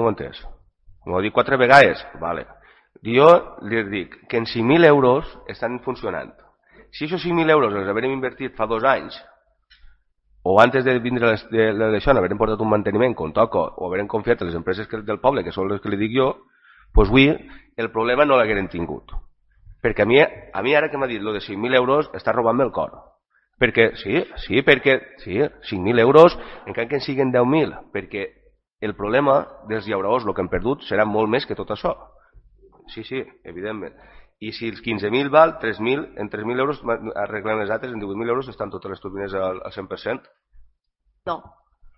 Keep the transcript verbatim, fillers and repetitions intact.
No ho he entès. M'ho dic quatre vegades? Vale. Jo li dic que en cinc mil euros estan funcionant. Si aquests cinc mil euros els haurem invertit fa dos anys, o antes de vindre d'això, haurem portat un manteniment com toca, o haurem confiat en les empreses del poble, que són les que li dic jo, doncs avui el problema no l'hagueren tingut. Perquè a mi, a mi ara que m'ha dit lo de cinc mil euros està robant-me el cor. Perquè, sí, sí, perquè, sí, cinc mil euros, encara que en siguin deu mil, perquè el problema dels llauradors, el que han perdut, serà molt més que tot això. Sí, sí, evidentment. I si els quinze mil val, tres mil, en tres mil euros arreglen les altres, en divuit mil euros estan totes les turbines al cent per cent? No.